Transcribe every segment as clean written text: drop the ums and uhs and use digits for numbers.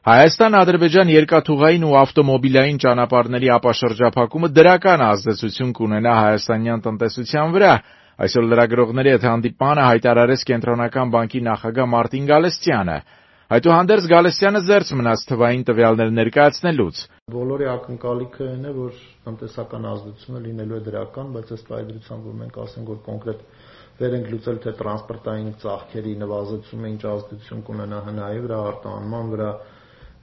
Հայաստան-Ադրբեջան երկաթուղային ու ավտոմոբիլային ճանապարհների ապաշրջափակումը դրական ազդեցություն կունենա հայաստանյան տնտեսության վրա, այսօր լրագրողների հետ հանդիպմանը հայտարարեց Կենտրոնական բանկի նախագահ Մարտին Գալստյանը։ Այդուհանդերձ Գալստյանը զերծ մնաց թվային տվյալներ ներկայացնելուց։ Բոլորի ակնկալիքը այն է, որ տնտեսական ազդեցությունը լինելու է դրական, բայց ըստ այդրության, որ մենք ասենք, որ կոնկրետ վեր ենք լուծել, թե տրանսպորտային ծախսերի նվազեցումը ինչ ազդեցություն կունենա ՀՆԱ-ի վրա, արտահանման վրա,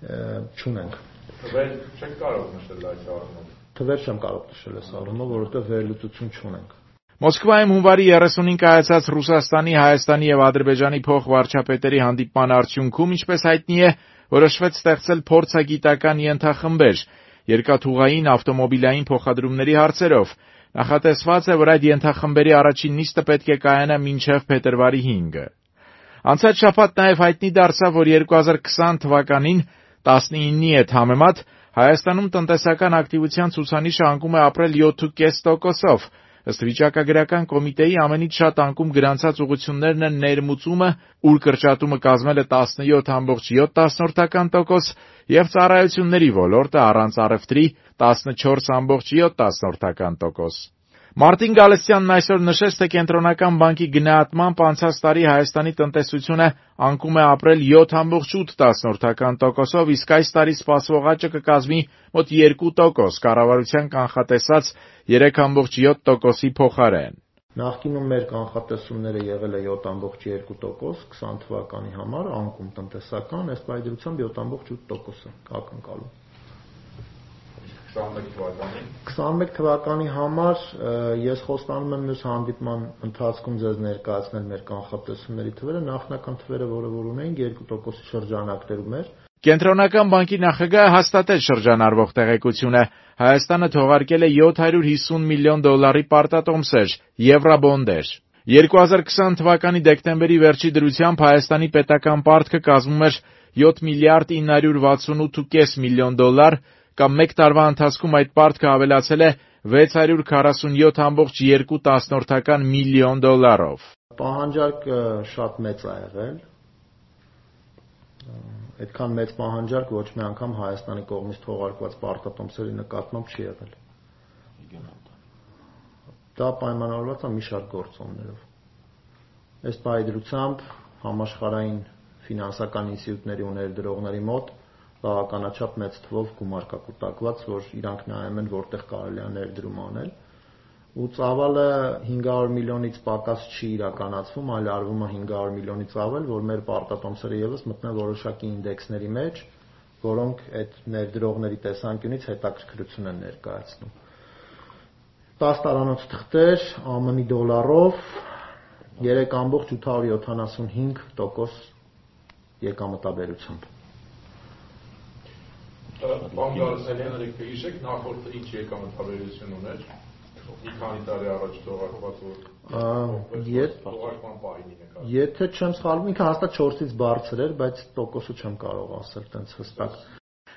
չունենք։ Թվեր չեք կարող նշել այս առումով։ Թվեր չեմ կարող նշել այս առումով, որովհետև վերլուծություն չունենք։ Մոսկվայում հունվարի 35-ին կայացած Ռուսաստանի, Հայաստանի եւ Ադրբեջանի փոխվարչապետերի հանդիպման արդյունքում, ինչպես հայտնի է, որոշվեց ստեղծել փորձագիտական ենթախմբեր երկաթուղային ավտոմոբիլային փոխադրումների հարցերով։ Նախատեսված է, որ այդ ենթախմբերի առաջին նիստը պետք է կայանա մինչև փետրվարի 5-ը։ Անցած շաբաթ նաեւ հայտնի դարձավ, որ 2020 թվականին 19-ի հետ համեմատ Հայաստանում տնտեսական ակտիվության ցուցանիշը անկում է ապրել 7.5%-ով։ Ըստ վիճակագրական կոմիտեի ամենից շատ անկում գրանցած ուղղություններն են ներմուծումը, ուր կրճատումը կազմել է 17.7%, եւ ծառայությունների ոլորտը առանց առևտրի 14.7%։ Մարտին Գալստյանն այսօր նշեց, թե Կենտրոնական բանկի գնահատմամբ անցած տարի Հայաստանի տնտեսությունը անկում է ապրել 7.8%-ով, իսկ այս տարի սպասվող աճը կկազմի մոտ 2%, կառավարության կանխատեսած 3.7%-ի փոխարեն։ Նախկինում մեր կանխատեսումները եղել է 7.2%, 20 թվականի համար անկում տնտեսական, ըստ այդրությամբ 7.8% ակնկալում։ 21 թվականի համար ես խոստանում եմ մյուս հանդիպման ընթացքում ձեզ ներկայացնել մեր կանխատեսումների թվերը, նախնական թվերը, որը որ ունենք 2%-ի շրջանակներում էր։ Կենտրոնական բանկի նախագահը հաստատեց շրջանառվող տեղեկությունը։ Հայաստանը թողարկել է $750 միլիոն պարտատոմսեր, եվրոբոնդեր։ 2020 թվականի դեկտեմբերի վերջի դրությամբ Հայաստանի պետական պարտքը կազմում էր $7.968 միլիոն, կամ մեկ տարվա ընթացքում այդ պարտքը ավելացել է $647.2 միլիոն։ Պահանջարկը շատ մեծ է եղել։ Այդքան մեծ պահանջարկ ոչ մի անգամ Հայաստանի կողմից թողարկված պարտատոմսերի նկատմամբ չի եղել։ Դա պայմանավորված է մի շարք գործոններով։ Ըստ այդրությամբ համաշխարհային ֆինանսական ինստիտուտների ու ներդրողների մոտ բավականաչափ մեծ թվով գումար կա կուտակված, որ իրանք նայում են որտեղ կարելի է ներդրում անել, ու ծավալը 500 միլիոնից պակաս չի իրականացվում, այլ արվում է 500 միլիոնից ավել, որ մեր պարտատոմսերը եւս մտնեն որոշակի ինդեքսների մեջ, որոնք այդ ներդրողների տեսանկյունից հետաքրքրություն են ներկայացնում։ 10 տարանոց թղթեր ԱՄՆ դոլարով 3.875% եկամտաբերությամբ։ Բանկարարները կհիշեք նախորդ ինչ եկամտաբերություն ուներ։ Մի քանի տարի առաջ թողարկված թողարկման պահին նկատի։ Եթե չեմ սխալվում, ինքը հաստատ 4-ից բարձր էր, բայց տոկոսը չեմ կարող ասել տենց հստակ։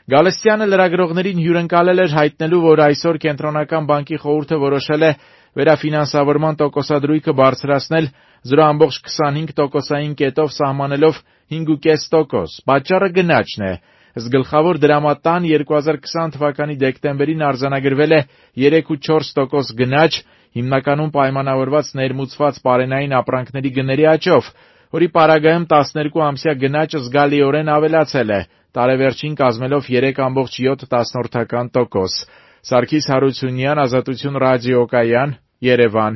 Գալստյանը լրագրողներին հյուրընկալել էր հայտնելու, որ այսօր Կենտրոնական բանկի խորհուրդը որոշել է վերաֆինանսավորման տոկոսադրույքը բարձրացնել 0.25%-ային կետով սահմանելով 5.5%։ Պատճառը գնաճն է։ Ըստ գլխավոր դրամատան 2020 թվականի դեկտեմբերին արձանագրվել է 3.4% գնաճ, հիմնականում պայմանավորված ներմուծված պարենային ապրանքների գների աճով, որի պարագայում 12-ամսյա գնաճը զգալիորեն ավելացել է, տարեվերջին կազմելով 3.7%։ Սարգիս Հարությունյան, Ազատություն ռադիոկայան, Երևան։